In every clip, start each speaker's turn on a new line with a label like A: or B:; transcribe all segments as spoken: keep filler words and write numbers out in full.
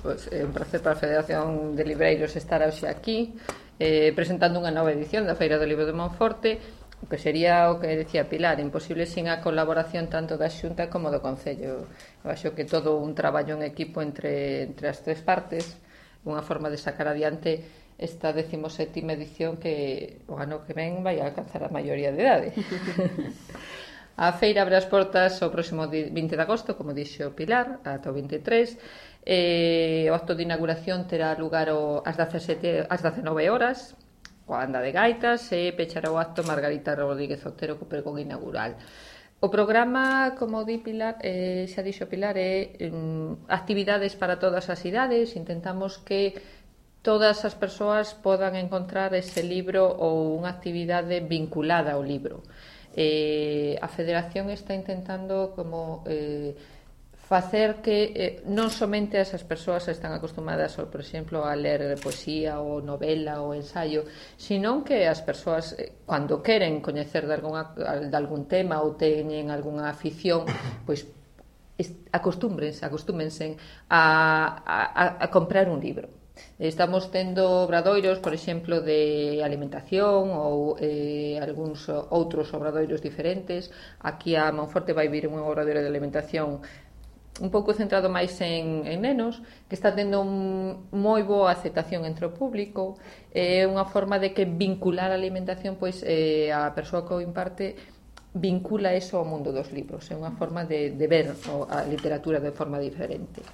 A: Pois é un placer para a Federación de Libreiros estar hoxe aquí eh, presentando unha nova edición da Feira do Libro de Monforte, o que sería o que decía Pilar, imposible sin a colaboración tanto da Xunta como do Concello. Eu acho que todo un traballo en equipo entre, entre as tres partes, unha forma de sacar adiante esta decimosétima edición que o ano que ven vai a alcanzar a maioría de idade. A feira abre as portas o próximo vinte de agosto, como dixo Pilar, ata o vinte e tres. Eh, o acto de inauguración terá lugar o, ás dezasete, ás dezenove horas, coa anda de gaitas, e pechará o acto Margarita Rodríguez Otero co pregón inaugural. O programa, como di Pilar, eh, xa dixo Pilar, é um, actividades para todas as idades. Intentamos que todas as persoas podan encontrar ese libro ou unha actividade vinculada ao libro. Eh, a Federación está intentando como eh, facer que eh, non somente as persoas están acostumadas, por exemplo, a ler poesía ou novela ou ensaio, sino que as persoas, eh, cando queren coñecer de, alguna, de algún tema ou teñen algunha afición, pois acostúmbrense, acostúmense a, a, a comprar un libro. Estamos tendo obradoiros, por exemplo, de alimentación ou eh, algúns outros obradoiros diferentes. Aquí a Monforte vai vir un obradoiro de alimentación un pouco centrado máis en, en nenos, que está tendo un, moi boa aceptación entre o público. É unha forma de que vincular a alimentación, pois eh, a persoa que o imparte vincula eso ao mundo dos libros. É unha forma de, de ver a literatura de forma diferente.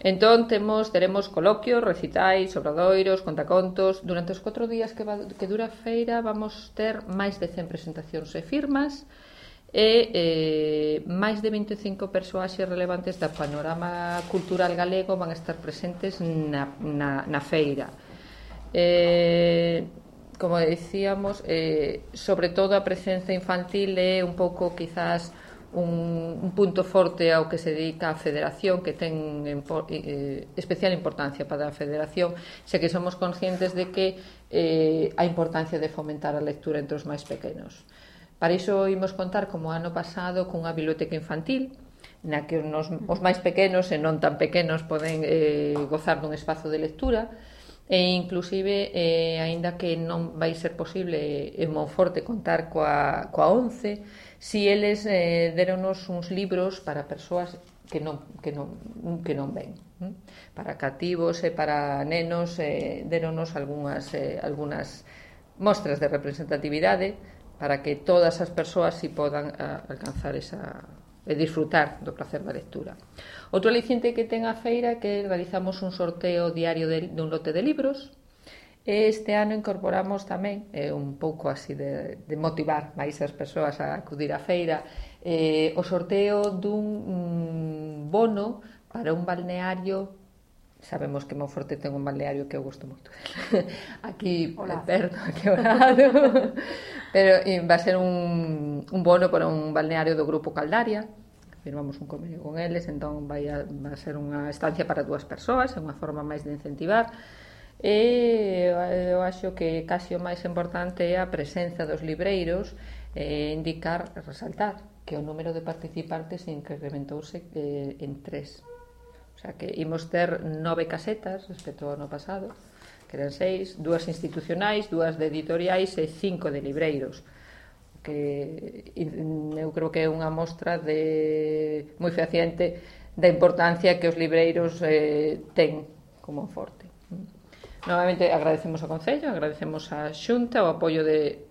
A: Entón, temos, teremos coloquios, recitais, obradoiros, contacontos. Durante os catro días que, va, que dura a feira vamos ter máis de cen presentacións e firmas e eh, máis de vinte e cinco persoaxes relevantes da panorama cultural galego van a estar presentes na, na, na feira. Eh, como decíamos, eh, sobre todo a presenza infantil é un pouco, quizás, Un, un punto forte ao que se dedica a Federación, que ten eh, especial importancia para a Federación, xa que somos conscientes de que eh, a importancia de fomentar a lectura entre os máis pequenos. Para iso imos contar, como ano pasado, cunha biblioteca infantil na que os, os máis pequenos e non tan pequenos poden eh, gozar dun espazo de lectura, e inclusive, eh, aínda que non vai ser posible en Monforte contar coa, coa once, si eles eh, deronos uns libros para persoas que non, que non, que non ven, hm? Para cativos e para nenos, eh, deronos algunhas, eh, algunhas mostras de representatividade para que todas as persoas si podan a, alcanzar esa e disfrutar do placer da lectura. Outro aliciente que ten a feira é que realizamos un sorteo diario de, dun lote de libros. Este ano incorporamos tamén, eh, un pouco así de, de motivar máis as persoas a acudir á feira, eh, o sorteo dun um, bono para un balneario. Sabemos que Monforte ten un balneario que eu gosto moito. Aquí, Hola. perto, aquí ao lado. Pero eh, va a ser un, un bono para un balneario do Grupo Caldaria. Firmamos un convenio con eles, entón vai a, vai a ser unha estancia para dúas persoas, é unha forma máis de incentivar. E eu acho que casi o máis importante é a presenza dos libreiros, e indicar, resaltar que o número de participantes incrementouse eh, en tres. O sea que imos ter nove casetas respecto ao ano pasado, que eran seis, dúas institucionais, dúas de editoriais e cinco de libreiros, que eu creo que é unha mostra de moi fehaciente da importancia que os libreiros eh, ten como Monforte. Novamente agradecemos ao Concello, agradecemos á Xunta o apoio de,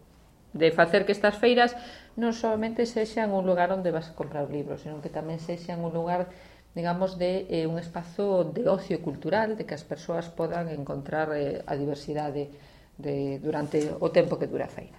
A: de facer que estas feiras non solamente sexan un lugar onde vas a comprar libros, sino que tamén sexan un lugar, digamos, de eh, un espazo de ocio cultural, de que as persoas podan encontrar eh, a diversidade de, durante o tempo que dura a feira.